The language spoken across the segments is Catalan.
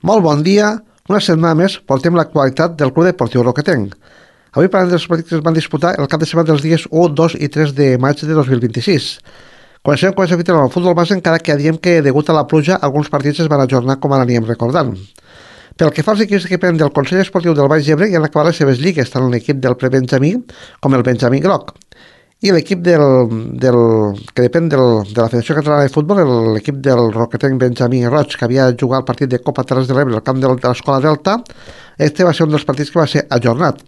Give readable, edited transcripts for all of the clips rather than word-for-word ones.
Molt bon dia. Una setmana més portem l'actualitat del Club Deportiu Roquetenc. Avui parlem dels partits que es van disputar el cap de setmana dels dies 1, 2 i 3 de maig de 2026. Comencem amb el futbol base, encara que diem que degut a la pluja alguns partits es van ajornar com ara anirem recordant. Pel que fa als equips que depenen del Consell Esportiu del Baix Ebre, ja han acabat les seves lligues, tant l'equip del prebenjamí com el Benjamí Groc. I l'equip que depèn de la Federació Catalana de Futbol, l'equip del Roquetenc Benjamí Roig, que havia jugat el partit de Copa Terres de l'Ebre al camp de l'Escola Delta, este va ser un dels partits que va ser ajornat.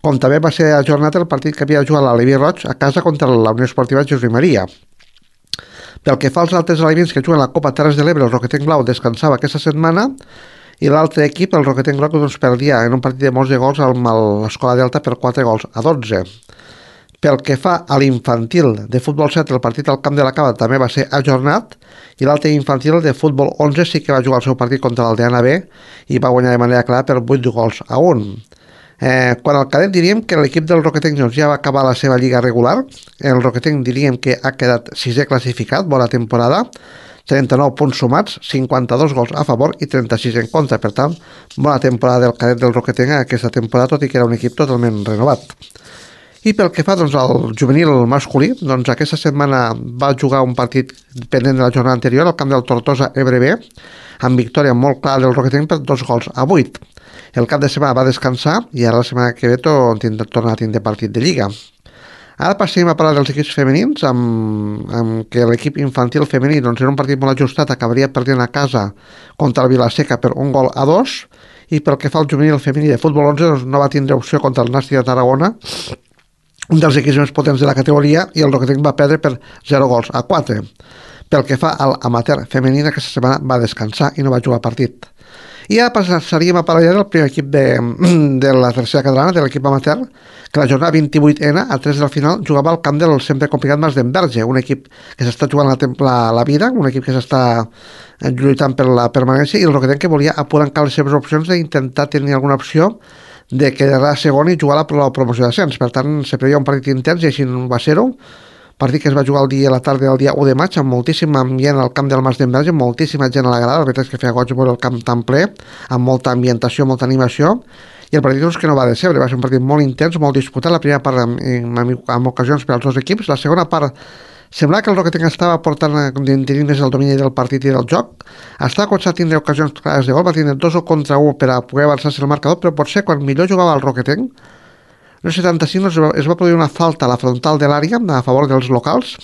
Com també va ser ajornat el partit que havia jugat l'Aleví Roig a casa contra la Unió Esportiva Josep Maria. Pel que fa als altres alevins que juguen a la Copa Terres de l'Ebre, el Roquetenc Blau descansava aquesta setmana i l'altre equip, el Roquetenc Groc, doncs perdia en un partit de molts de gols amb l'Escola Delta per 4-12. Pel que fa a l'infantil de futbol 7, el partit al Camp de la Cava també va ser ajornat i l'altre infantil de futbol 11 sí que va jugar el seu partit contra l'Aldeana B i va guanyar de manera clara per 8-1. Quan al cadet diríem que l'equip del Roquetenc ja va acabar la seva lliga regular. El Roquetenc diríem que ha quedat 6è classificat, bona temporada, 39 punts sumats, 52 gols a favor i 36 en contra. Per tant, bona temporada del cadet del Roquetenc aquesta temporada, tot i que era un equip totalment renovat. I pel que fa al juvenil masculí, doncs aquesta setmana va jugar un partit pendent de la jornada anterior al camp del Tortosa Ebre B, amb victòria molt clara del Roquetenc per 2-8. El cap de setmana va descansar i ara la setmana que ve torna a tindre partit de Lliga. Ara passem a parlar dels equips femenins, amb que l'equip infantil femení doncs, era un partit molt ajustat, acabaria perdent a casa contra el Vilaseca per 1-2, i pel que fa al juvenil femení de futbol 11 doncs, no va tindre opció contra el Nàstic de Tarragona, un dels equips més potents de la categoria, i el Roquetenc va perdre per 0-4. Pel que fa al amateur femení, aquesta setmana va descansar i no va jugar partit. I ara passaríem a parlar del primer equip de la tercera catalana, de l'equip amateur, que la jornada 28ena, a 3 del final, jugava al camp del sempre complicat Mas d'Enverge, un equip que s'està jugant la vida, un equip que s'està lluitant per la permanència, i el Roquetenc que volia apurar encara les seves opcions d'intentar tenir alguna opció de quedar segon i jugar a la promoció d'ascens. Per tant, se preveia un partit intens i així va ser-ho. Partit que es va jugar a la tarda del dia 1 de maig amb moltíssim ambient al camp del Mas d'Enverge, moltíssima gent a la grada. La veritat és que feia goig veure el camp tan ple, amb molta ambientació, molta animació, i el partit doncs, que no va decebre. Va ser un partit molt intens, molt disputat. La primera part amb ocasions per als dos equips, la segona part semblava que el Roquetenc estava tenint més el domini del partit i del joc. Estava començant a tindre ocasions clares de gol, va tindre 2-1 per a poder avançar-se el marcador, però potser quan millor jugava el Roquetenc, no 75 es va produir una falta a la frontal de l'àrea a favor dels locals,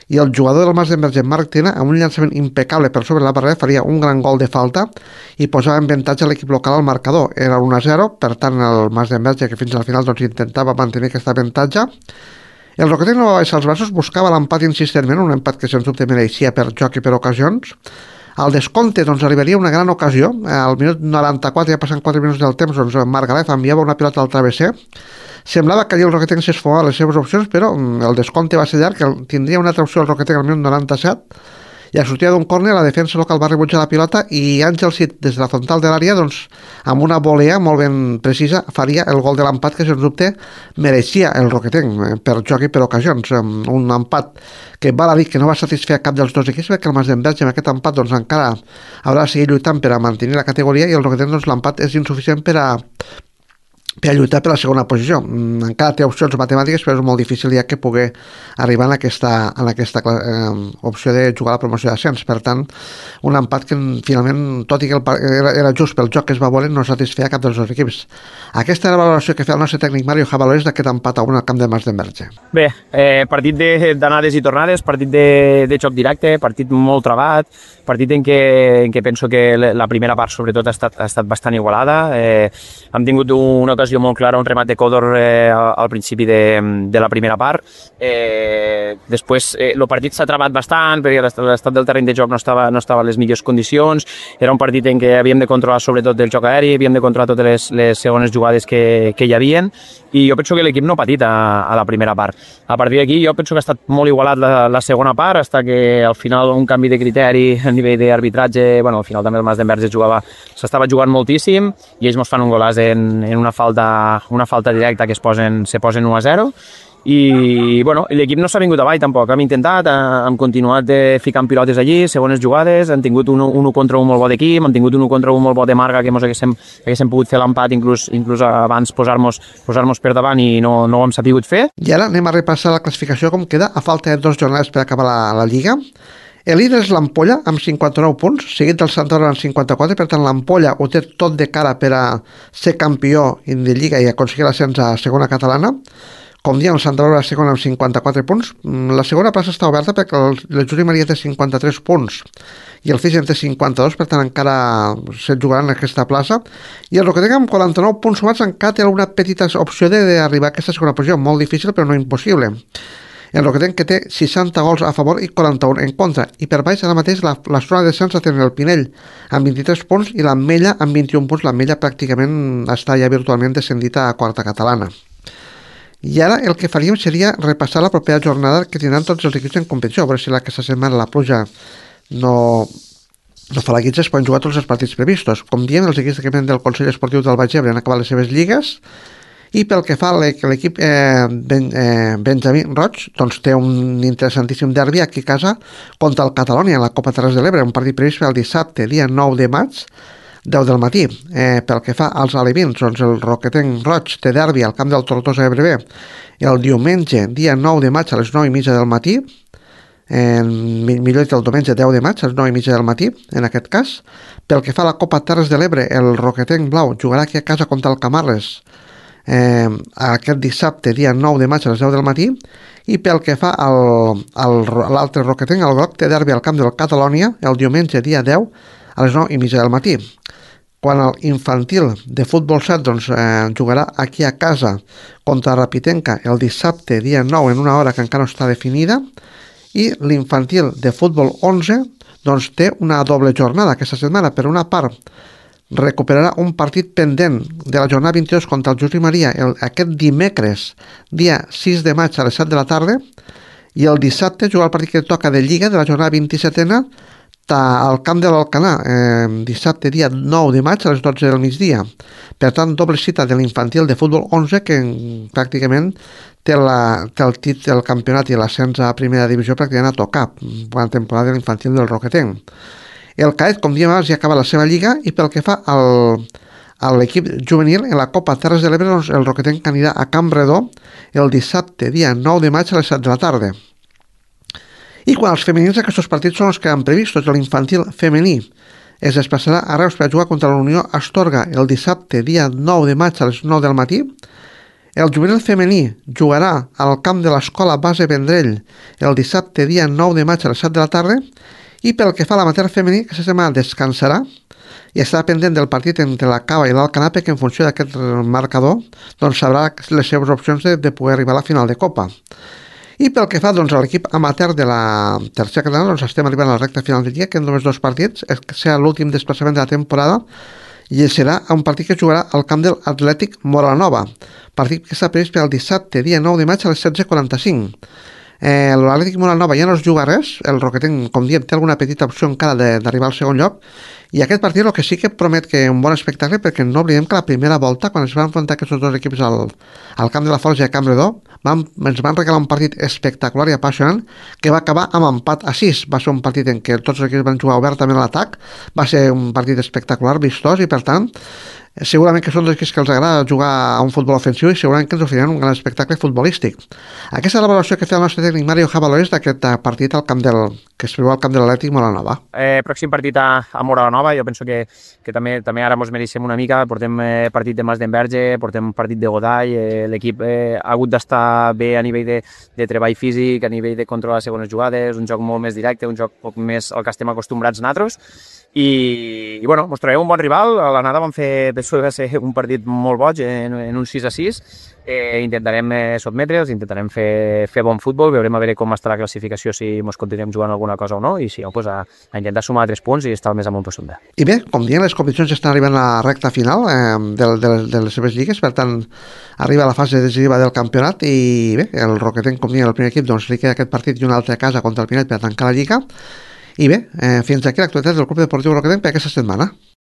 i el jugador del Mas d'Enverge, Marc Tena, amb un llançament impecable per sobre la barrera, faria un gran gol de falta i posava en avantatge l'equip local al marcador. Era 1-0, per tant el Mas d'Enverge, que fins al final doncs, intentava mantenir aquest avantatge. El Roquetenc no va baixar els braços, buscava l'empat insistentment, un empat que sens dubte mereixia per joc i per ocasions. Al descompte doncs, arribaria una gran ocasió. Al minut 94, ja passant 4 minuts del temps, doncs, Marc Galef enviava una pilota al travesser. Semblava que allà el Roquetenc s'esfumava les seves opcions, però el descompte va ser llarg, que tindria una altra opció el Roquetenc al minut 97, i a sortida d'un córner la defensa local va rebutjar la pilota i Àngel Cid, des de la frontal de l'àrea, doncs, amb una volea molt ben precisa, faria el gol de l'empat que, sens dubte, mereixia el Roquetenc per joc i per ocasions. Un empat que val a dir que no va satisfer cap dels dos equips, perquè el Mas d'Enverge amb aquest empat doncs, encara haurà de seguir lluitant per a mantenir la categoria, i el Roquetenc doncs, l'empat és insuficient per a lluitar per la segona posició. Encara té opcions matemàtiques, però és molt difícil ja que pugui arribar en aquesta opció de jugar a la promoció d'ascens. Per tant, un empat que finalment, tot i que era just pel joc que es va voler, no satisfeia cap dels dos equips. Aquesta era la valoració que feia el nostre tècnic Mario Javalores d'aquest empat a 1 al camp de Mas d'Enverge. Bé, partit d'anades i tornades, partit de xoc directe, partit molt trabat, partit en què penso que la primera part sobretot ha estat bastant igualada. Hem tingut una ocasió molt clara, un remat de Codor al principi de la primera part. Després el partit s'ha trabat bastant perquè l'estat del terreny de joc no estava a les millors condicions. Era un partit en què havíem de controlar sobretot el joc aeri, havíem de controlar totes les segones jugades que hi havien, i jo penso que l'equip no ha patit a la primera part. A partir d'aquí jo penso que ha estat molt igualat la segona part, fins que al final un canvi de criteri a nivell d'arbitratge, al final també el Mas d'Enverge s'estava jugant moltíssim i ells ens fan un golàs en una falta directa que se posen 1-0, i bueno, l'equip no s'ha vingut avall tampoc, hem intentat, hem continuat ficant pilotes allí, segones jugades, hem tingut un 1 contra 1 molt bo d'equip, hem tingut un 1 contra 1 molt bo de marca que ens haguéssim pogut fer l'empat inclús abans posar-nos per davant i no ho hem sapigut fer. I ara anem a repassar la classificació com queda a falta de 2 jornades per acabar la Lliga. El líder és l'Ampolla amb 59 punts, seguit del Sant Aurora amb 54, per tant l'Ampolla ho té tot de cara per a ser campió de Lliga i aconseguir l'ascens a segona catalana. Com diem, el Sant Aurora segona amb 54 punts. La segona plaça està oberta perquè el Juli Maria té 53 punts i el Fischen té 52, per tant encara se't jugaran en aquesta plaça. I el Roquetenc amb 49 punts sumats encara té una petita opció d'arribar a aquesta segona posició, molt difícil però no impossible. El Roquetenc que té 60 gols a favor i 41 en contra. I per baix ara mateix la zona de descens la tenen el Pinell amb 23 punts i l'Ametlla amb 21 punts. L'Ametlla pràcticament està ja virtualment descendida a quarta catalana. I ara el que faríem seria repassar la propera jornada que tindran tots els equips en competició. A veure si aquesta setmana la pluja no fa la guitza, es poden jugar tots els partits previstos. Com diem, els equips del Consell Esportiu del Baix Ebre han acabat les seves lligues. I pel que fa a l'equip Benjamí Roig, doncs té un interessantíssim derbi aquí a casa contra el Catalonia en la Copa Terres de l'Ebre, un partit previst per el dissabte, dia 9 de maig, 10 del matí. Pel que fa als alevins, doncs el Roquetenc Roig té derbi al camp del Tortosa Ebre el diumenge, dia 9 de maig a les 9:30 del matí, millor dit el diumenge 10 de maig a les 9:30 del matí, en aquest cas. Pel que fa a la Copa Terres de l'Ebre, el Roquetenc Blau jugarà aquí a casa contra el Camarles aquest dissabte, dia 9 de maig a les 10 del matí. I pel que fa a l'altre Roquetenc, el Groc té derbi al camp del Catalonia el diumenge, dia 10 a les 9:30 del matí. Quan l'infantil de futbol 7 doncs, jugarà aquí a casa contra Rapitenca el dissabte, dia 9, en una hora que encara no està definida. I l'infantil de futbol 11 doncs, té una doble jornada aquesta setmana. Per una part, recuperarà un partit pendent de la jornada 22 contra el Juli Maria aquest dimecres, dia 6 de maig a les 7 de la tarda, i el dissabte jugar el partit que toca de Lliga de la jornada 27a al camp de l'Alcanar, dissabte dia 9 de maig a les 12 del migdia. Per tant, doble cita de l'infantil de futbol 11 que pràcticament té el campionat i l'ascens a primera divisió pràcticament a tocar, la temporada de l'infantil del Roquetenc. El Caet, com diem abans, ja acaba la seva lliga. I pel que fa a l'equip juvenil, en la Copa Terres de l'Ebre, doncs, el Roquetenc anirà a Campredó el dissabte, dia 9 de maig a les 7 de la tarda. I quan els femenins, aquests partits són els que han previst. L'infantil femení es desplaçarà a Reus per jugar contra la Unió Astorga el dissabte, dia 9 de maig a les 9 del matí. El juvenil femení jugarà al camp de l'Escola Base Vendrell el dissabte, dia 9 de maig a les 7 de la tarda. I pel que fa a l'amateur femení, aquesta setmana descansarà i estarà pendent del partit entre la Cava i l'Alcanar, perquè en funció d'aquest marcador doncs sabrà les seves opcions de poder arribar a la final de Copa. I pel que fa doncs, a l'equip amateur de la tercera catalana, doncs estem arribant a la recta final del dia, que en només 2 partits, serà l'últim desplaçament de la temporada, i serà un partit que jugarà al camp del Atlètic Moranova, partit que està previst per el dissabte, dia 9 de maig a les 16:45. L'Atlètic Moranova ja no es juga res, el Roquetenc, com diem, té alguna petita opció encara d'arribar al segon lloc, i aquest partit el que sí que promet que un bon espectacle, perquè no oblidem que la primera volta, quan es van enfrontar aquests dos equips al camp de la Forja de Campredó, ens van regalar un partit espectacular i apassionant que va acabar amb empat a 6. Va ser un partit en què tots els equips van jugar obertament a l'atac, va ser un partit espectacular, vistós, i per tant segurament que són dos equips que els agrada jugar a un futbol ofensiu i segurament que ens oferiran un gran espectacle futbolístic. Aquesta és la valoració que fa el nostre tècnic Mario Javalois d'aquest partit que es preveu al camp de l'Atlètic Moranova. Pròxim partit a Moranova, jo penso que també ara ens mereixem una mica. Portem partit de Mas d'Enverge, portem partit de Godall, l'equip ha hagut d'estar bé a nivell de treball físic, a nivell de controlar les segones jugades, un joc molt més directe, un joc poc més al que estem acostumbrats nosaltres. I bueno, ens trobem un bon rival. A l'anada vam fer, penso que va ser un partit molt boig en un 6-6. Intentarem sotmetre'ls, intentarem fer bon futbol, veurem a veure com està la classificació, si ens continuem jugant alguna cosa o no, i si no, pues a intentar sumar 3 punts i estar el més amunt possible. I bé, com dient, les competicions estan arribant a la recta final de les seves lligues, per tant arriba a la fase decisiva del campionat, i bé, el Roquetenc, com dient, el primer equip, doncs li queda aquest partit i un altre a casa contra el Pinell per tancar la lliga. I bé, fins aquí l'actualitat del Club Deportiu Roquetenc per aquesta setmana.